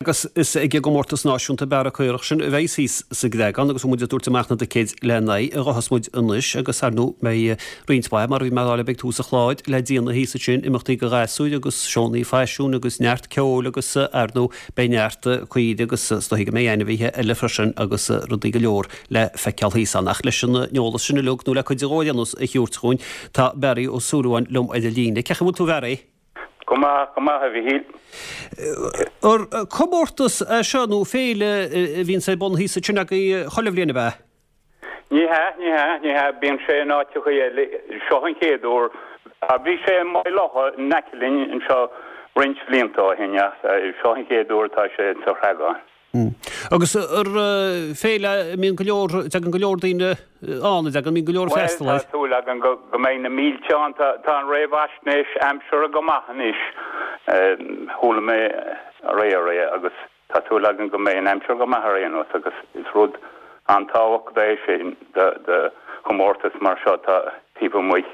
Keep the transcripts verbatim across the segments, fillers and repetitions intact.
Agus is ag an gcomórtas náisiúnta bearradh caorach sin a bheas thíos sa gCreagán agus muid ag tabhairt amach na dticéid lena aghaidh a ghabhfas muid anois agus ar ndóigh beidh roinnt mhaith mar a bhí mé a rá libh ag tús an chláir le déanamh thíos ansin, imeachtaí do ghasúir agus seónna faisiúin agus neart ceoil agus ar ndóigh beidh neart caoirigh agus is dóigh go mbeidh ainmhithe eile freisin agus rudaí go leor le feiceáil thíos ann. Ach leis an eolas sin uilig nó le cuid de ar aon nós a thabhairt chugainn tá Barry Ó Súilleabháin liom ar an líne. Cén chaoi a bhfuil tú a Bharry? Go maith, go maith, a Mhichíl. Ar comórtas é seo nó féile a bhíonns ar bun thíos ansin agaibh chuile bhliain, ab ea? Ní hea, ní hea, ní hea, bíonn sé in áiteacha eile. Seo an chéad uair. Bhí sé i Maigh Locha in aice linn anseo roinnt bhlianta ó shin ach seo an chéad uair atá sé sa Chreagán. Agus ar féile a mbíonn go leor, dtagann go leor daoine ann, a dtagann, mbíonn go leor Bhuel, freastal tá air. súil againn go go mbeidh na mílte ann. Tá tá an réamhaisnéis aimsire go maith anois. Chuala mé aréir é agus tá súil againn go mbeidh an aimsir go maith ar aon nós agus is rud an-tábhachtach é sin do do chomórtas mar seo atá taobh amuigh.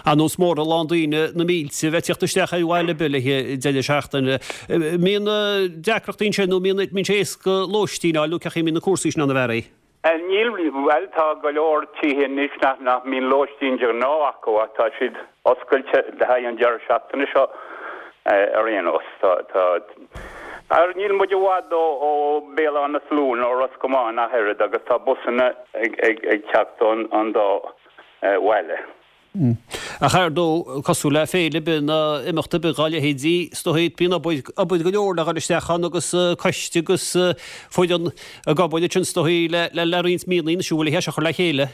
Ar nós mór a lán daoine, na mílte, bheith ag teacht isteach ar bhaile ar bith le haghaidh deireadh seachtaine. Mbíonn deacrachtaí ansin nó mbíonn mbíonn sé éasca lóistín a fháil nó cén chaoi a mbíonn na cúrsaí sin ann a Bharry? Níl, bhuel tá go leor tithe anois nach nach mbíonn lóistín de ghnáth acu ach tá siad oscailte le haghaidh an deireadh seachtaine seo ar aon nós. Tá tá ar níl muid i bhfad ó ó Béal Átha na Sluaighe nó Ros Comáin ach oiread agus tá busanna ag ag ag teacht ón an dá bhaile. Ach ar ndóigh, cosúil le féile ar bith nó imeacht ar bith dá leithéidí, is dóigh, bíonn obair, obair go leor le dhul isteach ann agus coiste agus foireann ag obair ansin is dóigh le, le, le roinnt míonna anois an bhfuil é seo a chur le chéile.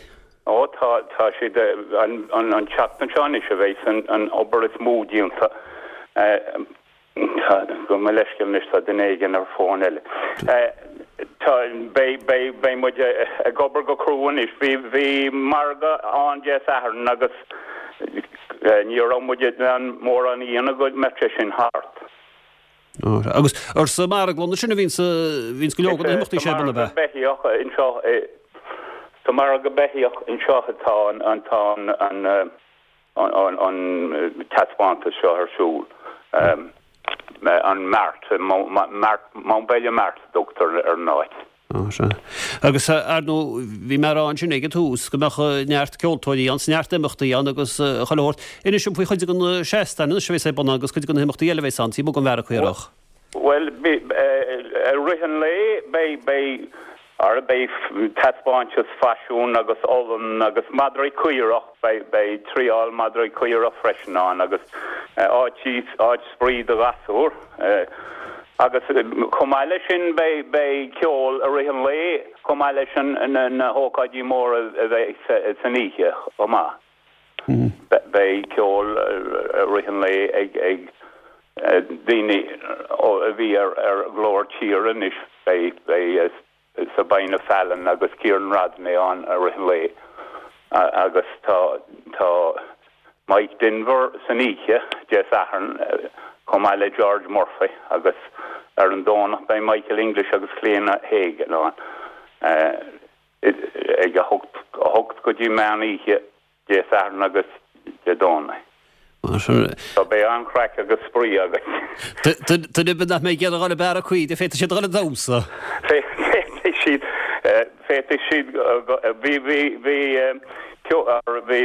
Ó tá, tá siad, an, an, an tseachtain seo anois a bheidh an, an obair is mó déanta. Gabh mo leithscéal anois, tá duine éigin ar fón eile. Tá, beidh, beidh, beidh muid ag obair go crua anois. Bhí, bhí margadh ann Dé Sathairn agus ní raibh muid in ann mórán a dhéanamh go mbeadh sé sin thart. Agus ar sa marglann sin a bhíonns, bhíonns go leor de na himeachtaí Sa seo ar bun, ab margadh ea? beithíoch anseo, sa margadh beithíoch anseo atá an, an, tá an, an, an taispeántas seo ar siúl, an Mart, Mountbellew Mart a dtugtar ar an áit. Sea. Agus ar ndóigh, bhí mé a rá ansin ag an tús go mbeadh neart ceoltóirí ann, 's neart imeachtaí ann agus chuile shórt. Inis dom faoi chuid de na seastáin anois a bheas ar bun agus cuid de na himeachtaí eile a bheas ann, taobh amuigh den bhearradh caorach. Bhuel, i rith an lae beidh, beidh, ara beidh taispeántas faisiún agus olann agus madraí caorach, beidh, beidh triáil madraí caorach freisin ann agus áit, áit spraoi do ghasúir. Agus chomh maith leis sin beidh, beidh ceol i rith an lae chomh maith leis an, na, na hócáidí móra a bheidh san oíche chomh maith. Beidh ceol i rith an lae ag, ag daoine a bhí ar, ar Ghlór Tíre anois, beidh, beidh Sabina Fallon agus Kieran Rodney ann i rith an lae agus tá, tá Mike Denver san oíche, Dé Sathairn, chomh maith le George Murphy agus ar an Domhnach beidh Michael English agus Clíona Hagan ann ag a hocht, a hocht go dtí meán oíche Dé Sathairn agus Dé Domhnaigh. So beidh an-chraic agus spraoi againn. Duine ar bith nach mbeidh ag iarraidh dhul ag bearradh caoirigh, féadfaidh siad a dhul ag damhsa. Féadfaidh siad, féadfaidh siad, bhí, bhí, bhí, bhí, bhí,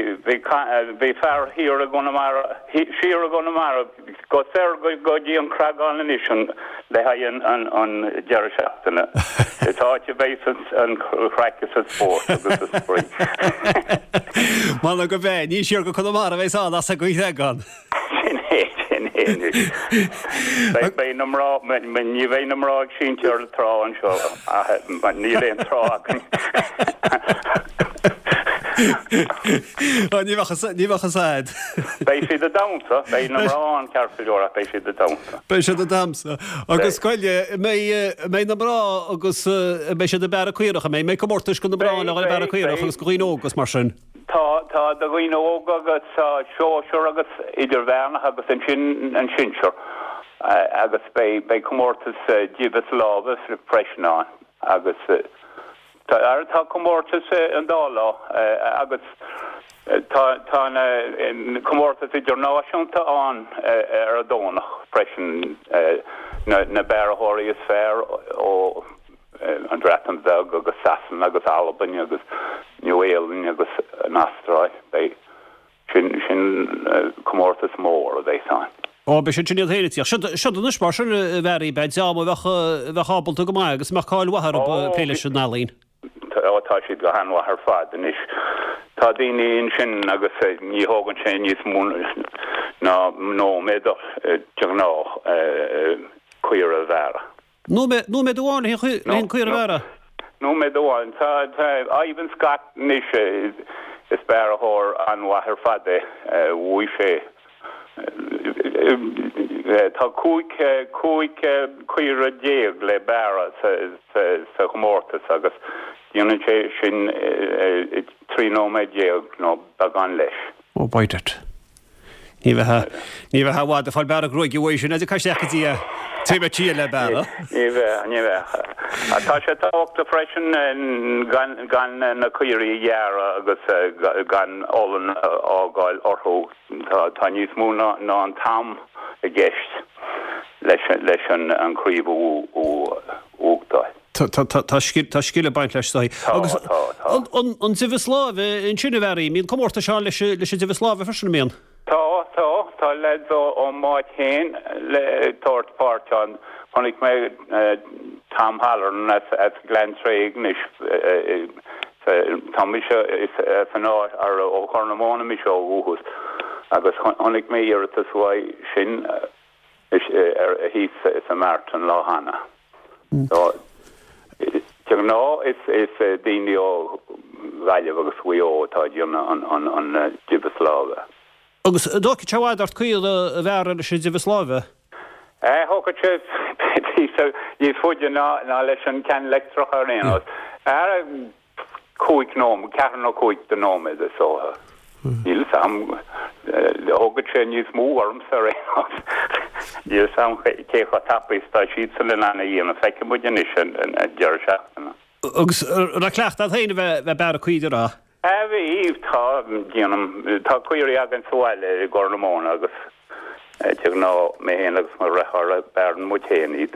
bhí fear thiar i gConamara, siar i gConamara, Go soir go dtí an Creagán anois le haghaidh an deireadh seachtaine. Is áit a bheidh an chraic is an spórt agus an spraoi. M'anam go mbeidh. Ní siar go Conamara a bheas ann as an gCreagán. Sin é, sin é anois. Beidh na mná, ní bheidh na mná ag sínte ar an trá anseo ach níl aon trá againn. Ní bheadh ní bheadh fhios a'd. Beidh siad ag damhsa, beidh na mná ann ceart go leor ach beidh siad ag damhsa. Beidh siad ag damhsa. Agus gabh i leith, an mbeidh, an mbeidh na mná agus an mbeidh siad ag bearradh caorach, an mbeidh, an mbeidh comórtais do na mná le dhul ag bearradh caorach agus do dhaoine óga agus mar sin? Tá, tá do dhaoine óga agus tá sóisear agus idirmheánach agus ansin an sinsear agus beidh, beidh comórtas deimheas láimhe freisin ann agus Tá, tá comórtas an dá lá agus tá tá na comórtas idirnáisiúnta ann ar an Domhnach freisin. na bearrthóirí is fearr ó an Bhreatain Bheag agus Sasana agus Albain agus Nua-Shéalainn agus an Astráil. Beidh sin sin comórtas mór a bheidh ann. Ó, beidh siad sin iad féin ag tíocht. Siod siod anois mar sin a Bharry, beidh dream a bheadh a bheadh ábalta go maith agus a mbeadh cáil mhaith orthu ag plé leis an ealaín. Ó, tá siad go han-mhaith ar fad anois. Tá daoine ansin agus ní thógann sé níos mó ná nóiméad de ghnáth caora a bhearradh. Nóiméad amháin le haghaidh caora a bhearradh? Nóiméad amháin. Tá Ivan Scott anois, is bearrthóir an-mhaith ar fad é. Bhuaigh sé. Tá cúig cúig caora déag le bearradh sa chomórtas agus déanann sé sin i trí nóiméad déag nó beagán leis. Ó, by dad. Ní bheifeá, ní bheifeá i bhfad ag fáil bearradh gruaige uaidh sin, caithfidh isteach go dtí é taobh le tír le bearradh. Ní bheadh, ní bheadh. Tá sé tábhachtach freisin gan, gan na caoirigh a ghearradh agus gan olann a fhágáil orthu. Tá, tá níos mó ná, ná an t-am i gceist leis, leis an, an chraobh a bhuachtáil. Tá scil ag baint leis so. Agus an deimheas láimhe ansin a Bharry, mbíonn comórtais ann leis an deimheas láimhe freisin, an mbíonn? Tá, tá. Tá leaids ón m'áit féin ag tabhairt páirt ann. Chonaic mé Tom Halloran as Gleann Tréig anois. Tá mise as an áit, ó Chorr na Móna mise ó dhúchas agus chonaic mé iarratas uaidh sin thíos sa mart an lá cheana. De ghnáth is daoine ó Ghaillimh agus Mhaigh Eo atá ag déanamh an deimheas láimhe. Agus an dtógfaidh sé i bhfad ort caora a bhearradh leis an deimheas láimhe? Thógfadh sé píosa níos faide ná leis an ceann leictreach ar aon nós. Cúig nóiméad, ceathair nó cúig de nóiméad is dócha. Níl 'fhios a'm, thógfadh sé níos mó ormsa ar aon nós. Níl 'fhios a'm cé chomh tapaidh is atá siadsan in ann a dhéanamh. Feicfidh muid anois an deireadh seachtaine. Agus an raibh cleachtadh a't féin a bheith ag bearradh caoire? Bhí, tá, déanaim, tá caoirigh againn sa bhaile i gCorr na Móna agus de ghnáth mé féin agus mo dheartháir bearrann muid féin iad.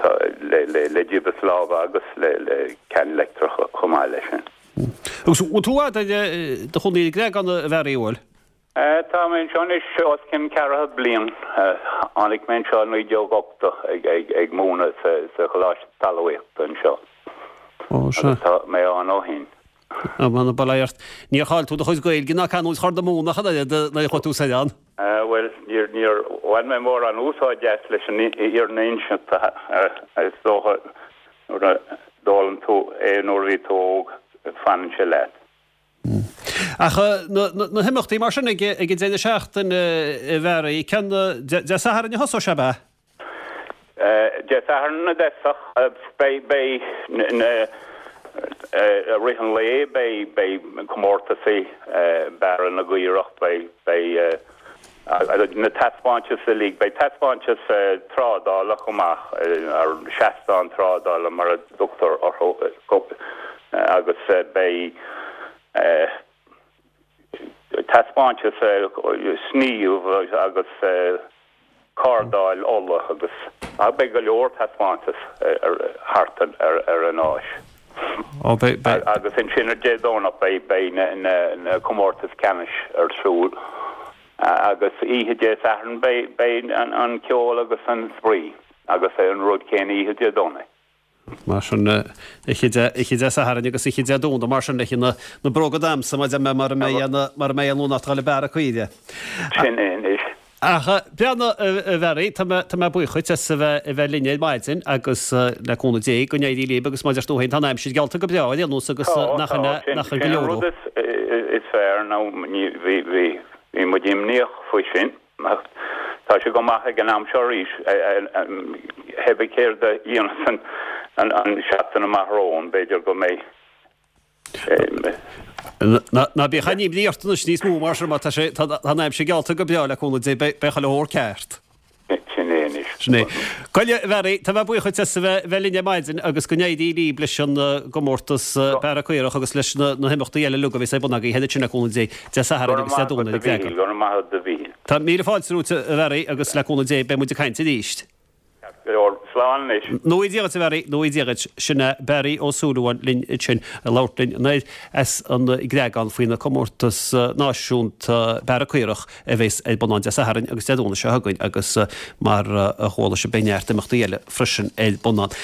Tá le deimheas láimhe agus le ceann leictreach chomh maith leis sin. Agus bhfuil tú i bhfad i do chónaí i gCreagán a Bharry, bhfuil? Tá mé anseo anois os cionn ceathracha bliain. Tháinig mé anseo i naoi déag ochtó ag múineadh sa Choláiste Talmhaíochta anseo. Agus tá mé ann ó shin. Mana bail ort. Níor chaill tú do chuid Gaeilge ná canúint Chorr na Móna ach an oiread nuair a chuaigh tú soir ann. Bhuel, níor, níor bhain mé mórán úsáid as leis an fhírinne a inseacht, is dócha nuair a d'fhoghlaim tú é nuair a bhí tú óg, fanann sé leat. Ach na himeachtaí mar sin ag an deireadh seachtaine a Bharry, ceann Dé Sathairn a thosós sé, ab ea? Dé Sathairn i dtosach, beidh, beidh na, i rith an lae beidh, beidh comórtasaí bearradh na gcaorach, beidh, beidh na taispeántais uilig, beidh taispeántas trádála chomh maith, ar seastán trádála mar a dtugtar orthu, agus beidh taispeántas sníomh agus cardáil olla agus beidh go leor taispeántas thart ar an áis. Agus ansin ar Dé Domhnach beidh na comórtais ceannais ar siúl agus oíche Dé Sathairn beidh an ceol agus an spraoi agus an rud céanna oíche Dé Domhnaigh. Mar sin, oíche Dé Sathairn agus oíche Dé Domhnaigh, mar sin, leis na bróga damhsa, mar mura mbeidh an lunacht ag dul ag bearradh caoire. Sin é anois. Ach breathnaigh, a Bharry, tá mé buíoch dhuit as a bheith linn ar maidin agus le cúnamh Dé go n-éirí libh agus mar a deir tú féin, tá an aimsir geallta go breá ar aon nós agus nach go leor. Tá, tá, sin an rud is fearr nó bhí muid imníoch faoi sin. Ach tá sé go maith ag an am seo arís, cibé céard a dhéanfas an seachtain amach romhainn, b'fhéidir go mbeidh. Ná bíodh aon imní ort anois níos mó mar sin, mar tá sé, tá an aimsir geallta go breá le cúnamh Dé, beidh chuile shórt ceart. Sin é anois. Sin é. Goile, a Bharry, tá mé buíoch dhuit as a bheith linn ar maidin agus go n-éirí libh leis an gcomórtas Bearradh Caorach agus leis na himeachtaí eile uilig a bheas ar bun agaibh ansin le cúnamh Dé, Dé Sathairn agus Dé Domhnaigh ag Creagán. Go raibh maith agat, a Mhíchíl. Tá míle fáilte romhat, a Bharry, agus le cúnamh Dé beidh muid ag caint arís. go leor slán anois. Nó Dia duit a Bharry, nó Dia duit sin é Barry Ó Súilleabháin linn sin labhairt linn anoir as an gCreagán faoina comórtas náisiúnta bearradh caorach a bheas ar bun ann Dé Sathairn agus Dé Domhnaigh seo chugainn agus mar a chuala sibh beidh neart imeachtaí eile freisin ar bun ann.